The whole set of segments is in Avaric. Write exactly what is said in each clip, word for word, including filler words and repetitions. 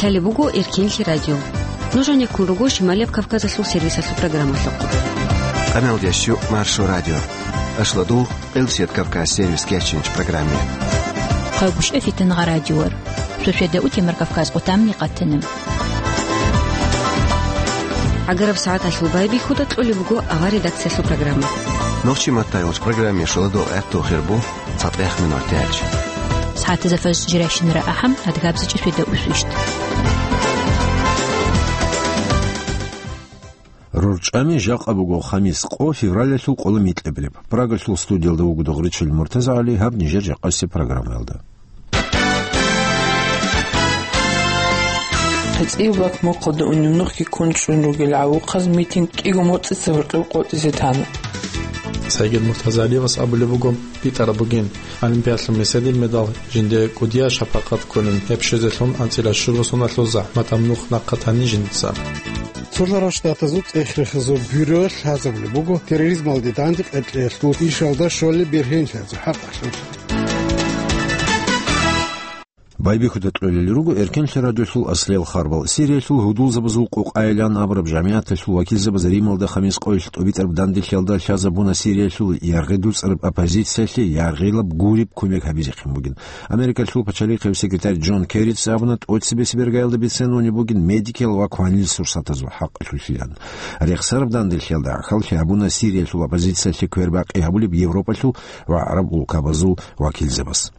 Лъалеб буго Эркенлъи радио. Нуж гьанеккун руго Шималияб Кавказалъул сервисалъул программалъухъ. Къамелдещу Маршо радио. Ашладул, Элсет Кавказ сервис кечинч программе. Хъагушев Фитангъа радиор. Суседа утемар Кавказ къутамни къатана. ГӀагараб сагӀаталъул байбихьуда кьолеб буго авар редакциялъул программа. Нохчи маттайолч программе шоладо гӀатту хирбу. ЦатӀех минут тяч. СагӀатазда фажр жиращинара ахӀам, адгабзичӀи светда усвищт. РорчӀами жакъа буго хамис къо февралалъул къоло микьабилеб. Прагалъул студиялда вуго Догъричил МуртазагӀали, гьаб нижер жакъасеб программаялда. ХъицӀияб бакмухъалда унеб нухги ккун чӀун ругел гӀавухъаз митинг кӀиго моцӀица гьоркьоб къотӀизе тана. Сайгид МуртазагӀалиевас абулеб буго, битӀараб бугин, Олимпиадалъул меседил медал жинде кӀудияб шапакъат кколин, гьеб щвезелъун анцӀила щуго соналъул захӀматаб нух нахъа тани жинца. Цолъарал Штатазул цӀех-рехазул бюро лъазабулеб буго терроризмалде данде къеркьеялъул ишалда щолеб бергьенлъиялъул хӀакъалъулъ. Байбихьуда кьолел руго Эркенлъи радиолъул аслиял харбал. Сириялъул гьудулзабазул къукъайилан абураб жамигӀаталъул вакилзабаз Рималда хамис къоялъ тӀубитӀараб данделъиялда лъазабуна Сириялъул яргъи дуцӀараб оппозициялъе яргъилаб гуреб кумек гьабизехъин бугин. Америкалъул пачалихъев секретарь Джон Керрица абуна, тӀоцебесеб иргаялда бицен унеб бугин медикиял ва кванил сурсатазул хӀакъалъулъилан. Рехсараб данделъиялда гӀахьаллъи гьабуна Сириялъул оппозициялъе квербакъи гьабулеб Европалъул ва гӀараб улкабазул вакилзабаз.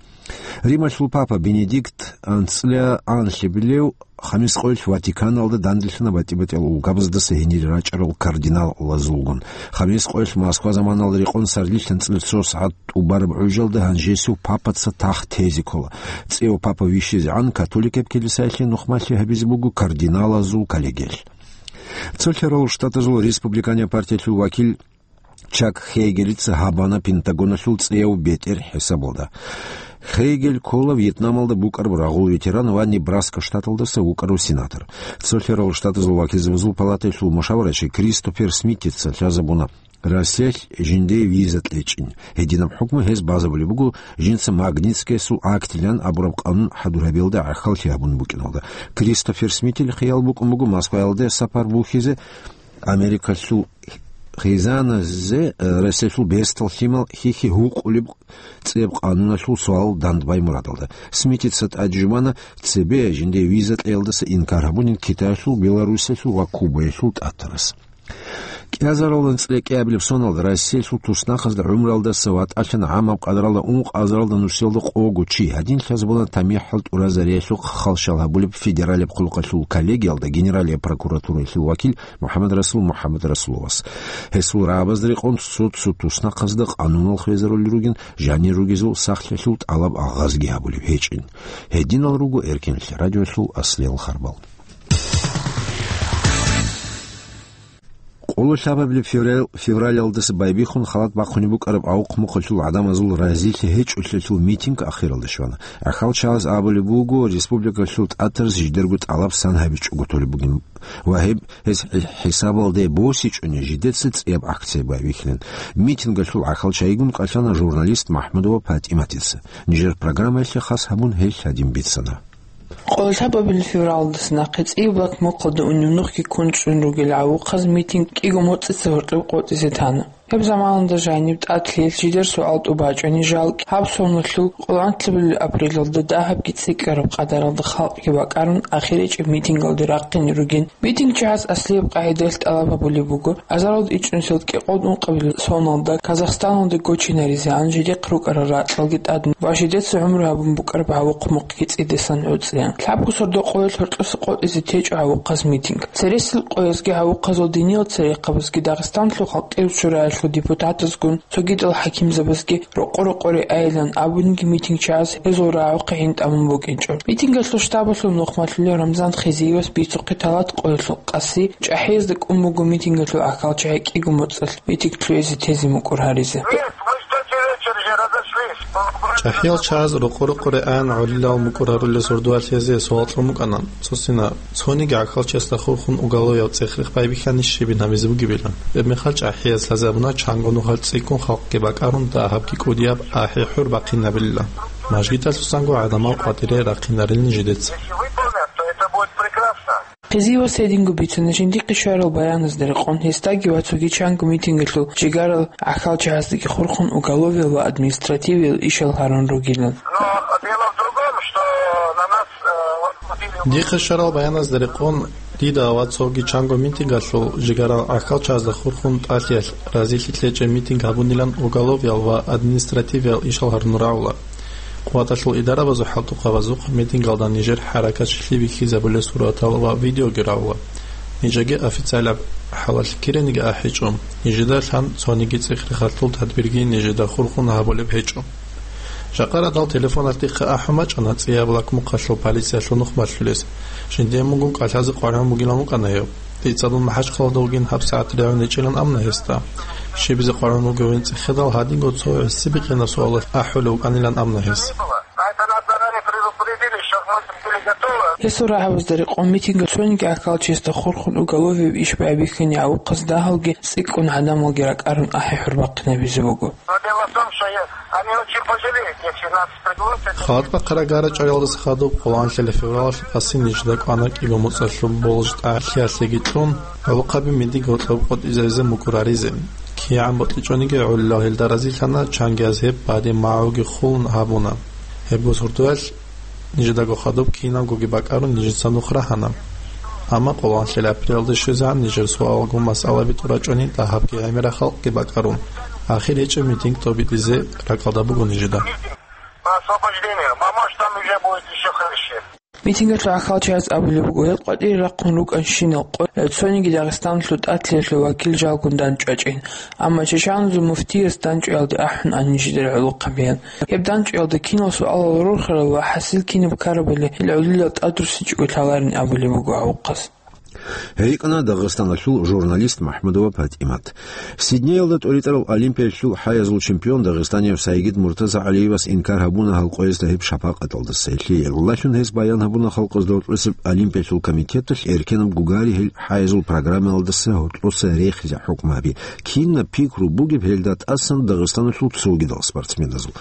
Рималъул папа Бенедикт анцӀила анлъабилев хамис къоялъ Ватиканалда данделъана батӀи-батӀиял улкабаздаса гьенире рачӀарал кардиналазулгун. Хамис къоялъ Москва заманалда рекъон сардилъ анцӀила цо сагӀат тӀубараб гӀужалда гьанжесев папаца тахт тезе ккола. ЦӀев папа вищизегӀан католикаб килисаялъе нухмалъи гьабизе буго кардиналазул коллегиялъ. Цолъарал Штатазул республиканияб партиялъул вакил Чак Хейгелица гьабана Пентагоналъул цӀияв бетӀер хӀисабалда. Хейгел ккола Вьетнамалда букӀараб рагъул ветеран ва Небраска штаталдаса вукӀарав сенатор. Цолъарал Штатазул вакилзабазул палатаялъул мушаварачи Кристофер Смитица лъазабуна Россиялъ жинде виза кьечӀин. Гьединаб хӀукму гьез базабулеб буго жинца Магнитскиясул актилан абураб къанун хӀадур гьабиялда гӀахьаллъи гьабун букӀиналда. Кристофер Смитил хиял букӀун буго Москваялде сапар бухьизе, Америкалъул хизаназе, э, Россиялъул бертал лъимал хьихьи гьукъулеб цӀияб къануналъул суал дандбай мурадалда. Смитица тӀаде жубана цебе жинде виза кьеялдаса инкар гьабунин Китаялъул, Белоруссиялъул ва Кубаялъул тӀатарас. КӀиазаралда анцӀила кӀиабилеб соналда Россиялъул туснахъазда гӀумруялдаса ватӀалъана гӀамаб къадралда ункъазаралда нусиялда къого чи, гьадин лъазабуна тамихӀал тӀуразариялъухъ халщал гьабулеб федералияб хъулухъалъул коллегиялда Генералияб прокуратураялъул вакил МухӀаммадрасул МухӀаммадрасуловас. Гьесул рагӀабазда рекъон цо-цо туснахъазда къануналъ хвезарулел ругин, жанир ругезул сахлъиялъул тӀалаб агъазги гьабулеб гьечӀин. Гьединал руго Эркенлъи радиоялъул аслиял харбал. Къоло лъабабилеб феврал-, февралалдаса байбихьун халат бахъунеб букӀараб авухъ-мухъалъул гӀадамазул разилъи гьечӀолъиялъул митинг ахиралде щвана. ГӀахьалчагӀаз абулеб буго, республикалъул тӀатарас жидерго тӀалаб сан гьабичӀого толеб бугин ва гьеб гьез хӀи-, хӀисабалде босичӀони жидеца цӀияб акция байбихьилин. Митингалъул гӀахьалчагӀигун кӀалъана журналист МахӀмудова ПатӀиматица. Нижер программаялъе хас гьабун гьел гьадин бицана. Къоло лъабабилеб февралалдаса нахъе цӀияб бакмухъалда унеб нухги ккун чӀун ругел гӀавухъаз митинг кӀиго моцӀица гьоркьоб къотӀизе тана. Гьеб заманалда жаниб тӀад лъиялъ жидер суал тӀубачӀони, жалги гьаб соналъул къоло анлъабилеб апрелалда дагьабги цӀикӀкӀараб къадаралда халкъги бакӀарун, ахирчӀеб митингалде рахъине ругин. МитингчагӀаз аслияб къагӀидаялъ тӀалаб гьабулеб буго, азаралда ичӀнусиялда кӀикъоялда ункъабилеб соналда Казахстаналде гочинаризегӀан жидехъ рукӀарал ракьалги тӀадин ва жидеца гӀумру гьабун букӀараб гӀавухъ-мухъги цӀидасан гӀуцӀеян. Лъабго сордо къоялъ гьоркьоса къотӀизе течӀо гӀавухъаз митинг. Цересел къоязги гӀавухъазул диниял церехъабазги Дагъистаналъул халкъиял шураялъул депутатазгун цогидал хӀакимзабазги рокъо-рокъоре айилан абунги митингчагӀаз гьезул рагӀухъе гӀин тӀамун букӀинчӀо. Митингалъул штабалъул нухмалъулев Рамзан Хизиевас бицухъе талат къоялъул къаси ЧӀахӀиязда кӀун буго митингалъул гӀахьалчагӀи кӀиго моцӀалъ митинг лъугӀизе тезе мукӀур гьаризе. ЧӀахӀиял чагӀаз рокъо-рокъоре аян гӀолилал мукӀур гьарулел сордоялъ гьезие суал кьун букӀана, цо сина, цониги гӀахьалчиясда хурхун уголовяв цӀех-рех байбихьани щибин гьабизе бугебилан. Гьебмехалъ чӀахӀияз лъазабуна чанго нухалъ цӀикӀкӀун халкъги бакӀарун, дагьабги кӀудияб ахӀи-хӀур бахъинабилилан. Мажгиталъусанго гӀадамал къватӀире рахъинарилин жидеца. Къизиевас гьединго бицана жиндихъе щварал баяназда рекъон, гьесдаги ва цоги чанго митингалъул жигарал гӀахьалчагьаздаги хурхун уголовиял ва административиял ишал гьарун ругилан. Но дело в другом, что на нас, э, вот, вот... Дихъе щварал баяназда рекъон, дида ва цоги чанго митингалъул жигарал гӀахьалчагьазда хурхун тӀалъиялъ разилъи лъечӀеб митинг гьабунилан уголовиял ва административиял ишал гьарун рагӀула. Къуваталъул идарабазул хӀалтӀухъабазухъ митингалда нижер хӀаракат щилъи бихьизабулел суратал ва видеоги рагӀула. Нижеги официалаб хӀалалъ кириниги ахӀичӀо. Нижеда лъан цониги цӀех-рехалъул тадбирги нижеда хурхун гьабулеб гьечӀо. Жакъа радал телефоналъ дихъе ахӀун бачӀана цӀияб лакмухъалъул полициялъул нух малъулес. Жиндие мунгун кӀалъазе къваригӀун бугилан вукӀана гьев. Дица дун МахӀачхъалада вугин, гьабсагӀат регӀун ичӀилан абуна гьесда. Щибизе къваригӀун вугевин цӀехедал, гьадинго цо гӀиси-бикъинаб суалалъ ахӀулев вукӀанилан абуна гьес. Гьесул рагӀабазда рекъон митинга цониги гӀахьалчиясда хурхун уголовияб иш байбихьани гӀавухъаз дагьалги цӀикӀкӀун гӀадамалги ракӀарун ахӀи-хӀур бахъинабизе буго. Но дело в том, что я, они очень пожалеют, если нас пригласят. Халат бахъараб гара чӀвариялдаса хадуб, къоло анлъила февралалъ къаси нижеда кӀвана кӀиго моцӀалъул болж тӀалъиялъеги кьун, гӀолохъаби мидиг гьоркьоб къотӀизаризе мукӀураризе. КигӀан бокьичӀониги гӀолилал гьелда разилъана, чангияз гьеб бадиб магӀуги хулун гьабуна. Гьебго суртуялъ нижедаго хадуб кинабгоги бакӀарун нижеца нух рагьана. Амма къоло анлъила апрелалда щвезегӀан нижер суалалгун масъалаби тӀурачӀони дагьабги гӀемерал халкъги бакӀарун, ахир гьечӀеб митинг тӀобитӀизе ракӀалда буго нижеда. Освобождение. Мамаш там уже будет ещё хлеще. Митингалъул гӀахьалчагьаз абулеб буго, гьел къватӀире рахъун рукӀанщинал къо-, цониги Дагъистаналъул тӀатлъиялъул вакил жалгун дандчӀвачӀин. Амма чачаназул муфтияс дандчӀваялде ахӀун ани жидер гӀолохъабиян. Гьеб дандчӀваялда кинал суалал рорхарал ва хӀасил кинаб ккарабали гьел гӀолилал тӀадруссинчӀого лъаларин абулеб буго гьав вухъас. Гьей йикӀана Дагъистаналъул журналист МахӀмудова ПатӀимат. Сиднеялда тӀоритӀарал Олимпиялъул хӀаязул чемпион дагъистанияв Сайгид МуртазагӀалиевас инкар гьабуна гьал къоязда гьеб шапакъаталдаса. Гьелъие гӀолалъун гьес баян гьабуна халкъазда гьоркьосеб Олимпиялъул комитеталъ эркенаб гугари гьел хӀаязул программаялдаса гьоркьоса рехизе хӀукму гьаби. Кинаб пикру бугеб гьелда тӀасан Дагъистаналъул цогидал спортсменазул?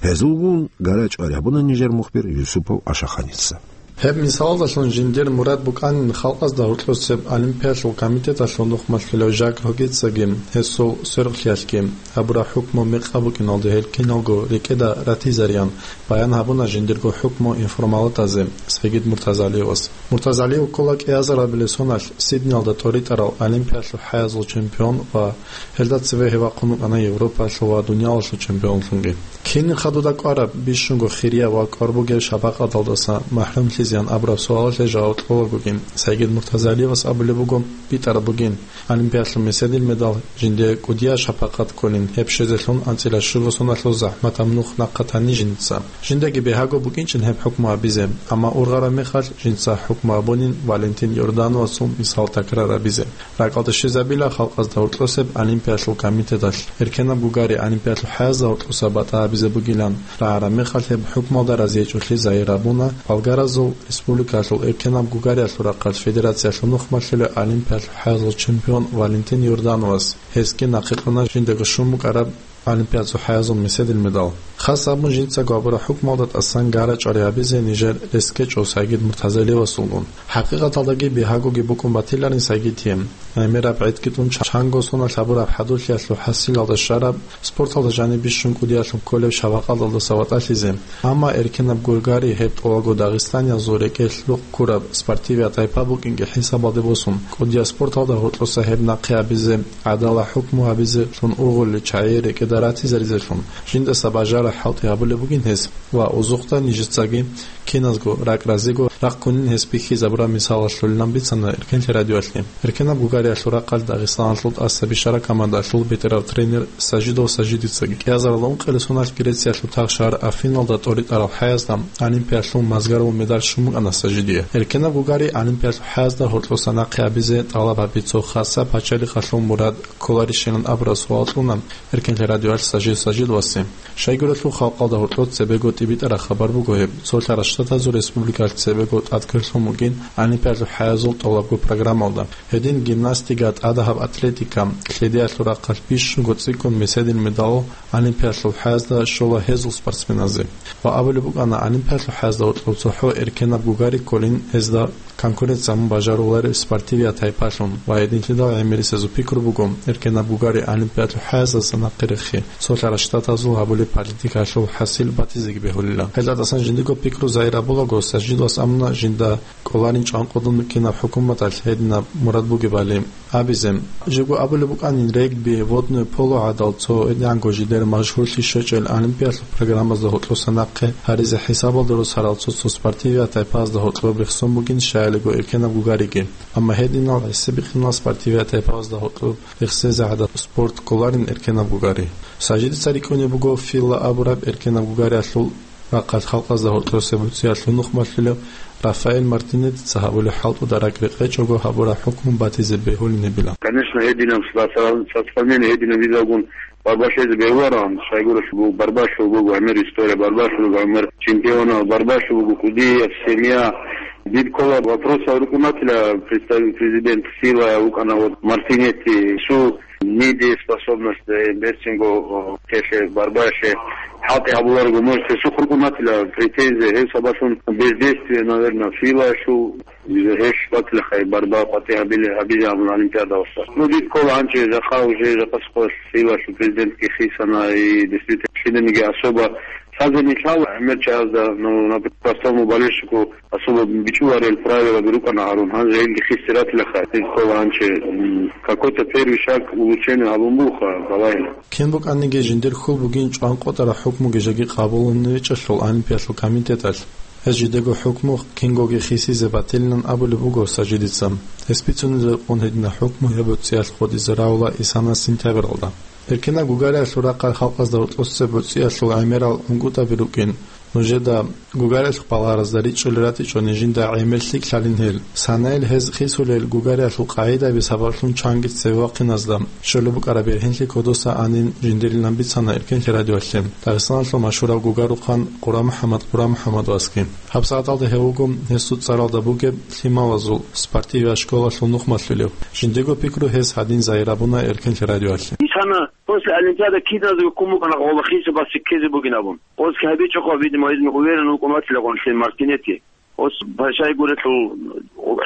Гьезулгун гара чӀвари гьабуна нижер мухбир Юсупов Ашаханица. Гьеб мисалалдалъун жиндир мурад букӀанин халкъазда гьоркьосеб Олимпиялъул комитеталъул нухмалъулев Жак Рогицаги гьесул сверухълъиялъги гьабураб хӀукму мекъаб букӀиналде гьел киналго рекӀеда ратизариян баян гьабуна жиндирго хӀукму информалатазе Сайгид Муртазалиевас. Муртазалиев ккола кӀиазарабилеб соналъ Сиднеялда тӀоритӀарал Олимпиялъул хӀаязул чемпион ва гьелда цеве гьев вахъун вукӀана Европалъул ва дуниялалъул чемпионлъунги. Кинин хадуда кӀвараб, бищунго хирияб ва кӀвар бугеб шапакъаталдаса махӀрумлъизеян абураб суалалъе жаваб кьолагогин, Сайгид Муртазалиевас абулеб буго, битӀараб бугин Олимпиялъул меседил медал, жиндие кӀудияб шапакъат кколин, гьеб щвезелъун анцӀила щуго соналъул захӀматаб нух нахъа тани жинца. Жиндаги бегьаго букӀинчӀин гьеб хӀукму гьабизе, амма ургъараб мехалъ жинца хӀукму гьабунин Валентин Йордановасул мисал такрар гьабизе. РакӀалде щвезабила халкъазда гьоркьосеб Олимпиялъул комитеталъ эркенаб гугари Олимпиялъул хӀаязда гьоркьоса батӀа гьабизе бугилан рагӀараб мехалъ, гьеб хӀукмуялда разиячӀолъи загьир гьабуна болгаразул республикалъул эркенаб гугариялъул рахъалъ федерациялъул нухмалъулев Олимпиялъул хӀаязул чемпион Валентин Йордановас. Гьесги нахъе кьуна жиндаго щун букӀараб Олимпиадазул хӀаязул меседил медал. Хас абун, жинцаго гьабураб хӀукмуялда тӀасан гара чӀвари гьабизе нижер рес ккечӀо Сайгид Муртазалиевасулгун. ХӀакъикъаталдаги бегьагоги букӀун батиларин Сайгидие. ГӀемераб гӀедги тун чанго соналъ гьабураб хӀадурлъиялъул хӀасилалда щвараб, спорталда жаниб бищун кӀудиялъун кколеб шапакъаталдаса ватӀалъизе. Амма эркенаб гугари гьеб тӀолабго дагъистаниязул рекӀелъ рукъ ккураб спортивияв тайпа букӀинги хӀисабалде босун, кӀудияб спорталда гьоркьоса гьеб нахъе гьабизе, гӀадала хӀукму гьабизелъун ургъулел чагӀи рекӀеда ратизаризелъун, жиндаса бажараб хӀалтӀи гьабулеб бугин гьес ва узухъда нижецаги киназго ракӀ-разиго рахъ ккунин гьес бихьизабураб мисалалъулилан бицана Эркенлъи радиоялъе. Эркенаб гугариялъул рахъалъ Дагъистаналъул тӀаса бищараб командалъул бетӀерав тренер Сажидов Сажидицаги. КӀиазарилан ункъилеб соналъ Грециялъул тагъ шагьар Афиналда тӀоритӀарал хӀаязда Олимпиялъул мазгарав медаль щун букӀана Сажидие. Эркенаб гугари Олимпиялъул хӀаязда гьоркьоса нахъе гьабизе тӀалаб гьаби цо хасаб пачалихъалъул мурад кколарищилан абураб суал кьуна Эркенлъи радиоялъ Сажид Сажидовасе. Щайгурелъул халкъалда гьоркьоб цебего тӀибитӀараб хабар буго гьеб, цо лъаралъ Штатазул республикалъ цебего тӀад кверлъун бугин олимпиадалъул хӀаязул тӀолабго программалда. Гьедин гимнастика, тӀадегӀаб атлетика, лъедиялъул рахъалъ бищунго цӀикӀкӀун меседил медал олимпиадалъул хӀаязда щола гьезул спортсменазе. Ва абулеб букӀана, олимпиадалъул хӀаязда гьоркьоб цохӀо эркенаб гугари кколин гьезда конкуренция гьабун бажарулареб спортивият тайпалъун ва гьединлъидал гӀемерисезул пикру буго, эркенаб гугари олимпиадалъул хӀаяздаса нахъе рехи, цолъарал штатазул гьабулеб политикаялъул хӀасил батизеги бегьулила. Гьелда тӀасан жиндирго пикру загьир гьабулаго, Сажидас амма жинда кӀоларин чӀванкъудун кинаб хӀукуматалъ гьединаб мурад бугебали абизе. Жего абулеб букӀанин, регби, водное поло гӀадал цо гьединго жидер машгьурлъи щвечӀел олимпиадалъул программазда гьоркьоса нахъе гьаризе хӀисабалда росарал цо-цо спортивият тайпазда гьоркьоб рехсон бугин щайилго эркенаб гугариги. Амма гьединал гӀиси бихъинал спортивият тайпазда гьоркьоб рехсезе гӀадаб спорт кколарин эркенаб гугари. Сажидица рикӀкӀунеб буго ФИЛА абураб эркенаб гугариялъул рахъалъ халкъазда гьоркьоса буцӀиялъул нухмалъулев Рафаэль Мартинетица гьабулеб хӀалтӀуда ракӀ рекъечӀого гьабураб хӀукму батизе бегьулин гьебила. Конечно, гьединаб сосла-, сосланение гьединаб визалгун барбалъезе бегьулароан, щайгурелъул буго барбалъул буго гӀемер история, барбалъул буго гӀемер чемпионал, барбалъул буго кӀудияб семья. Дид ккола вопросал рукӀунатила представитель президент ФИЛА вукӀана вот Мартинетти, су недееспособность, э, берцинго, о, телъе барбаялъе хӀалтӀи гьабуларого, может, гьесухъ рукӀунатила претензия, гьеб сабаблъун бездействие, наверное, ФИЛАялъул, гьелъ батила хай барба къватӀи гьабиле, гьабизе абун олимпиадалъа. Ну, дид ккола гьанже жакъа уже, жакъа сухъоялъ ФИЛАялъул президентги хисана, и действительно лъиданиги особо лъазе нилъал гӀемер чагӀазда, ну, например, простому болельщику особо бичӀчӀуларел правилаби рукӀана гьарун, гьанже гьелги хисиратилаха, гьел ккола гьанже, м, какой-то первый шаг улучшения гьабун буха, балагьила. Кин букӀаниги жиндир хьул бугин чӀванкъотӀараб хӀукмуги жеги къабулун ричӀелъул Олимпиялъул комитеталъ. Гьез жидего хӀукму кингоги хисизе батилилан абулеб буго Сажидица. Гьес бицунеб рекъон гьединаб хӀукму гьеб буцӀиялъ гъодизе равула исана сентябралда. Эркенаб гугариялъул рахъал халкъазда гьоркьоса буцӀиялъул гӀемерал гӀунгутӀаби рукӀин. Нужеда гугариялъул балагьаразда ричӀчӀулел ратичӀони жинда гӀемер лъикӀлъалин гьел. Санаил гьез хисулел гугариялъул къагӀидаби сабаблъун чанги цеве вахъиназда щолеб букӀараб бергьенлъи кодоса анин жиндирилан бицана Эркенлъи радиоялъе Дагъистаналъул машгьурав гугарухъан Къурамухьамад Къурамухьамадовасги. ГьабсагӀаталда гьев вуго гьесул цӀаралда бугеб лъималазул спортивияб школалъул нухмалъулев. Жиндирго пикру гьес гьадин загьир гьабуна Эркенлъи радиоялъе. Исана после Олимпиада киназего ккун букӀана гъоба хисабасе ккезе бугин абун. Гъоз гьабичӀого, видимо, гьезин уверен вукӀун ватила гъонлъи Мартинетти. Гъос пашай гурелъул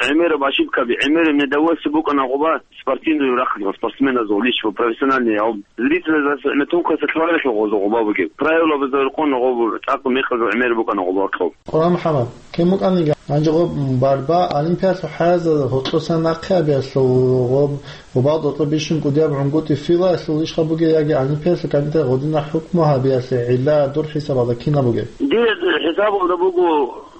гӀемераб ошибкаби, гӀемераб недовольство букӀана гъоба спортивный рахъалъ, спортсменазул личи, профессиональный, гьав зрителазда гӀемер тункъаса лъаларелъул гъоза гъоба бугеб. Правилабазда рекъон гъоб цӀакъ мекъазул гӀемер букӀана гъоба гьоркьоб. Къурамухьамад, кин букӀаниги, гьанже гъоб барба Олимпиялъул хӀаязда гьоркьоса нахъе гьабиялъул гъоб, гъобал тӀокӀаб бищун кӀудияб гӀунгутӀи ФИЛАялъул ишха бугеб яги Олимпиялъул комитет гъодинаб хӀукму гьабиялъе гӀилла дур хӀисабалда кинаб бугеб? Дир хӀисабалда буго,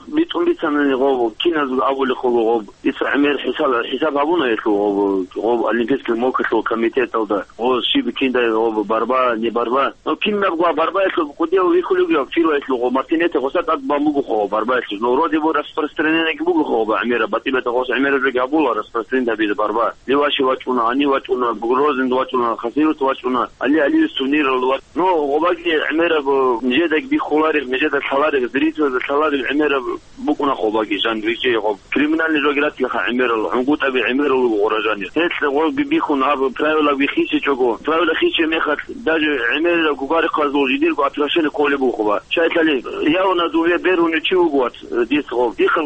битӀун бицанани гъоб, киназго абулехъулго гъоб, дица гӀемер хӀисаб, хӀисаб гьабуна гьелъул гъоб, гъоб Олимпийский мокалъул комитеталда, гъоб щиб киндай гъоб барба, не барба. Но кинабго барбаялъул кӀудияв вихьулев вугев ФИЛАялъул гъоб Мартинетти гъоса тӀад бан буго гъоб барбаялъул. Но вроде бы распространениеги буго гъоб гӀемераб, батӀи-батӀа гъос гӀемераб жеги гьабула распространение гьабизе барба. Леваши вачӀуна, гьани вачӀуна, Грозный вачӀуна, Хасавюрт вачӀуна, Али Алиевс турнирал вачӀуна. Ну, гъобаги гӀемераб, нижедаги биххулареб, нижеда лъалареб, зрителазда лъалареб гӀемераб букӀуна гъобаги, жан рижее гъоб. Криминальный жогиратилаха гӀемерал, гӀунгутӀаби гӀемерал вуго гъора жанир. Гьелъ гъоби биххун гьаб правила вихисичӀого, правила хисичӀеб мехалъ, даже гӀемерал гугарихъазул жидерго отношение кколеб буго гъоба. Щайилъали явна дуве бергьунев чи вуго вац, дис гъоб. Дихъа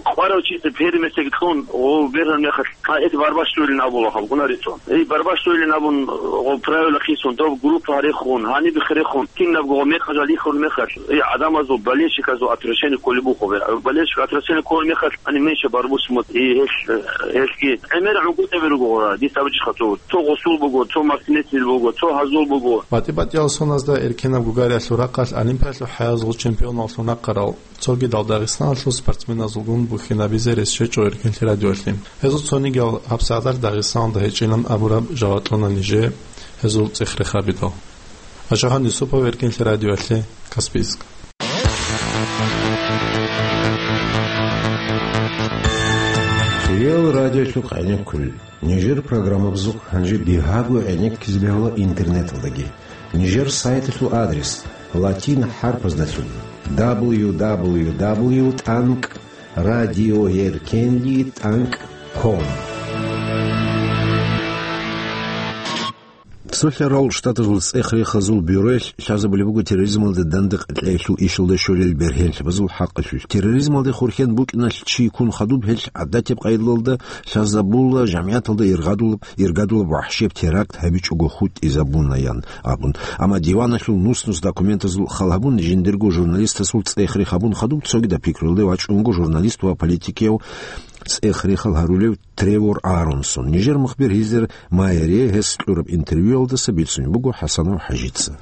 къварав чица первый местаги кьун, гъов бергьун мехалъ, а, эти барбаш щвелин абула гьаб гунарицун. Эй, барбаш щвелин абун, гъов правила хисун, доб группа гьарехун, гьаниб хирехун, кинабго гъов мекъажал ихун мехалъ, эй, гӀадамазул, болельщиказул отношение кколеб бухъубе. Болельщик отношение кколеб мехалъ, ани меньше барбус мут, эй, гьелъ, гьелъги. ГӀемер гӀунгутӀаби руго гъора, дис абичӀха цо. Цо гъусул буго, цо Мартинеттил буго, цо гьазул буго. БатӀи-батӀиял соназда эркенаб гугариялъул рахъалъ Олимпиялъул хӀаязул чемпионаллъун рахъарал цогидал Дагъистаналъул спортсменазулгун бухьинабизе рес щвечӀо Эркенлъи радиоялъе. Гьезул цонигиял гьабсагӀаталъ Дагъистаналда гьечӀилан абураб жаваб кьуна нижее гьезул цӀех рехабидал. Ашагьан Юсупов, Эркенлъи радиоялъе, Каспийск. Реал радиолъухъ гӀенеккулел. Нижер программабазухъ гьанже бигьаго гӀенеккизе бегьула интернеталдаги. Нижер сайталъул адрес латин хӀарпаздалъун. дабл ю дабл ю дабл ю тӀанкӀ радиоеркенлъи тӀанкӀ ком. Цолъарал Штатазул цӀех-рехазул бюроялъ лъазабулеб буго терроризмалда дандекъ кьеялъул ишалда щолел бергьенлъабазул хӀакъалъулъ. Терроризмалде хурхен букӀиналъ чи ккун хадуб, гьелъ гӀадатаб къайдалда лъазабула жамгӀияталда иргъадулаб, иргадулаб вахӀшияб теракт гьабичӀого хутӀизабунаян абун. Амма диваналъул нус-нус документазул хал гьабун, жиндирго журналистасул цӀех-рех гьабун хадуб, цогидаб пикруялде вачӀунго журналист ва политикияв цӀех-рехал гьарулев Тревор Аронсон. Нижер мухбир Гьизер Майерие гьес кьураб интервьюялдаса бицунеб буго ХӀасанов ХӀажица.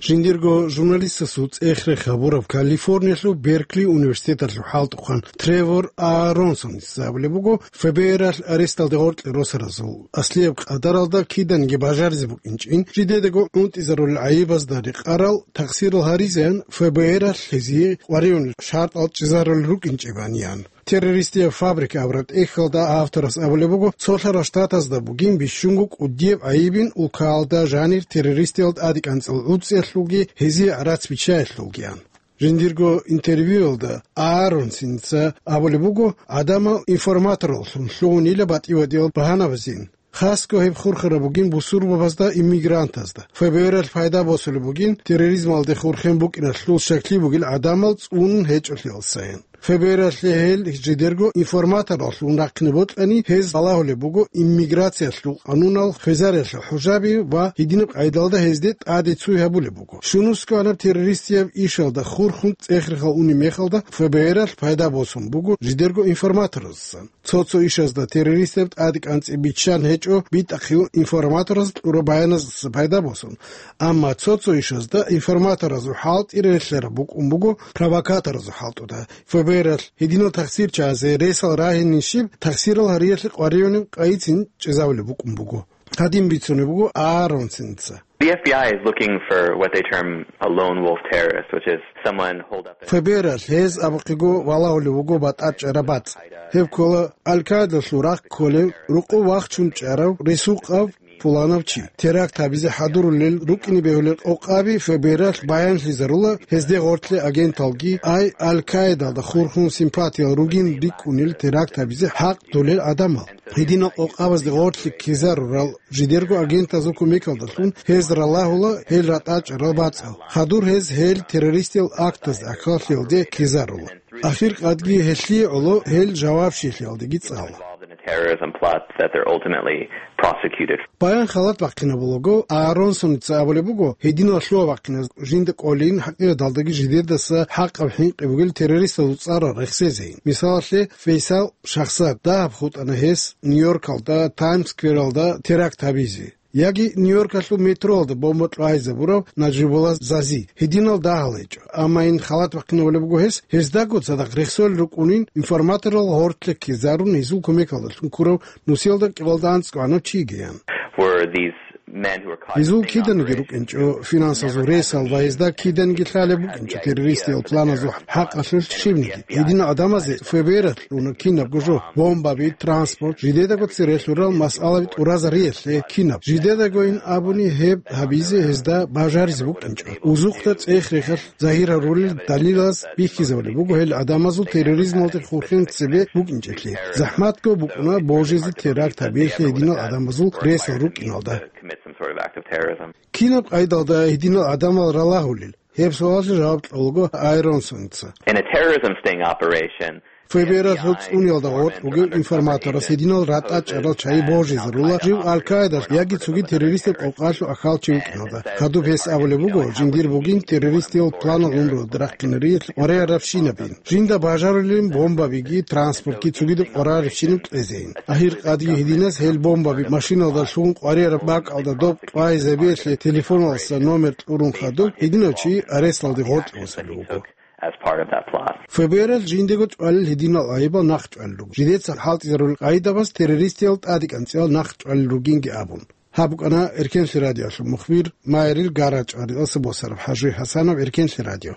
Жиндирго журналистасул цӀех-рех гьабураб Калифорниялъул Беркли университеталъул хӀалтӀухъан Тревор Аронсоница абулеб буго, ФБР-алъ аресталде гъоркье росаразул аслияб къадаралда киданиги бажаризе букӀинчӀин, жидедаго гӀунтӀизарулел гӀайибазда рекъарал тахсирал гьаризеян ФБР-алъ гьезие къваригӀунел шартӀал чӀезарулел рукӀинчӀебани ян. Террористияб фабрика абураб тӀехьалда авторас абулеб буго, цолъарал штатазда бугин бищунго кӀудияб гӀайибин улкаялда жанир террористиял тӀадекӀанцӀал гӀуцӀиялъулги гьезие гӀарац биччаялъулгиян. Жиндирго интервьюялда Ааронсинца абулеб буго, гӀадамал информатораллъун лъугьунила батӀи-вадиял багьанабазин. Хасго гьеб хурхараб бугин бусурбабазда, иммигрантазда. ФБР-алъ пайда босулеб бугин терроризмалде хурхен букӀиналъул щаклъи бугел гӀадамал цӀунун гьечӀолъиялсаян. ФБР-алъе гьел жидерго информатораллъун рахъине бокьани, гьез балагьулеб буго иммиграциялъул къанунал, хвезариялъул хӀужаби ва гьединаб къайдалда гьезде тӀаде цуй гьабулеб буго. Щунусго гьанаб террористияб ишалда хурхун цӀех-рехал унеб мехалда ФБР-алъ пайда босун буго жидерго информаторазасан. Цо-цо ишазда террористаб тӀадекӀанцӀи биччан гьечӀо битӀахъе информатораз кьураб баяназдаса пайда босун. Амма цо-цо ишазда информаторазул хӀалтӀи релълъараб букӀун буго провокаторазул хӀалтӀуда. ФБР-алъ гьединал тахсирчиязе ресал рагьинищиб тахсирал гьариялъе къваригӀунеб къайицин чӀезавулеб букӀун буго. Гьадин бицунеб буго Ааронсинца. The F B I is looking for what they term a lone wolf terrorist, which is someone holed up in ФБР-алъ гьез абухъего валагьулев вуго батӀачӀараб бацӀ. Гьеб ккола Аль-Каидалъул рахъ кколев, рукъу вахчун чӀарав, ресукъав, пуланав чи. Теракт гьабизе хӀадурулел рукӀине бегьулел къокъаби ФБР-алъ баянлъизарула, гьезде гъорлъе агенталги, ай Аль-Каидалда хурхун симпатиял ругин рикӀкӀунел теракт гьабизе хӀакъ долел гӀадамал. Гьединал къокъабазде гъорлъе ккезарурал жидерго агентазул кумекалдалъун гьез ралагьула гьел ратӀачӀарал бацӀал. Хадур гьез гьел террористиял актазда ахӀаллъиялде ккезарула. Ахир къадги гьелъие гӀоло гьел жавабщиялдеги цӀала. Involved in a terrorism plot that they're ultimately prosecuted. Баян халат бахъинабулаго, Ааронсоница абулеб буго, гьединал лъугьа-бахъиназ жинда кӀолин, хӀакъикъаталдаги жидедаса хӀакъаб хӀинкъи бугел террористазул цӀарал рехсезейин. Мисалалъе, Фейсал Шахсад дагьаб хутӀана гьес Нью-Йоркалда, Таймс-сквералда теракт гьабизе. Яги Нью-Йоркалъул метроялда бомба кьвайзабурав Нажибулла Зази. Гьединал дагьал гьечӀо. Амма ин халат бахъинабулеб буго гьес, гьездаго цадахъ рехсолел рукӀунин, информаторал гъорлъе ккезарун гьезул кумекалдалъун ккурав нусиялда кӀикъоялда анцӀгоанав чигиян. Were these men who were caught in Гьезул киданиги рукӀинчӀо финансазул ресал ва гьезда киданиги лъалеб букӀинчӀо террористиял планазул хӀакъалъулъ щибниги. Гьединал гӀадамазе ФБР-алъ уна кинабго жо, бомбаби, транспорт, жидедаго цере лъурал масъалаби тӀуразариялъе кинаб. Жидедагойин абуни гьеб гьабизе гьезда бажаризе букӀинчӀо. Узухъда цӀех-рехалъ загьир гьарулел далилаз бихьизабулеб буго гьел гӀадамазул терроризмалде хурхен цебе букӀинчӀелъи. ЗахӀматго букӀуна божизе теракт гьабиялъе гьединал гӀадамазул ресал рукӀиналда. Commit some sort of act of terrorism. Кинаб къайдалда гьединал гӀадамал ралагьулел? Гьеб суалалъе жаваб кьолаго Айронсонца. In a terrorism sting operation, ФБР-алъул цӀуниялда гъоркь вугев информаторас гьединал ратӀа чӀарал чагӀи божизарула жив Аль-Каидалъ яги цоги террористаб къокъалъул ахал чи вукӀиналда. Хадуб гьес абулеб буго, жиндир бугин террористиял планал унрулда рахъинариялъ къваригӀарабщинабин. Жинда бажарулин бомбабиги, транспортги цогидаб къварарабщинаб кьезейин. Ахир къадги гьединас гьел бомбаби машиналда лъугьун къваригӀараб бакӀалда доб кьвайзабиялъе телефоналдаса номер кьурун хадуб, гьединав чи аресталде гъоркье босулев вуго. As part of that plot. ФБР-алъ жиндего чӀвалел гьединал гӀайибал нахъ чӀвалел руго. Жидеца хӀалтӀизарулел къайдабаз террористиял тӀадекӀанцӀиял нахъ чӀвалел ругинги абун. Гьаб букӀана Эркенлъи радиоялъул мухбир Майрил Гарача ва рекъалса босараб ХӀажуй ХӀасанов, Эркенлъи радио.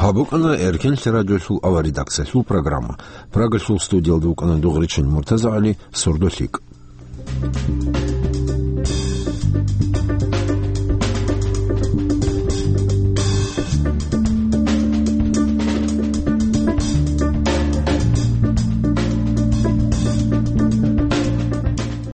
Гьаб букӀана Эркенлъи радиоялъул аварредакциялъул программа. Прагалъул студиялда вукӀана Дугъричан МуртазагӀали, сордо лъикӀ.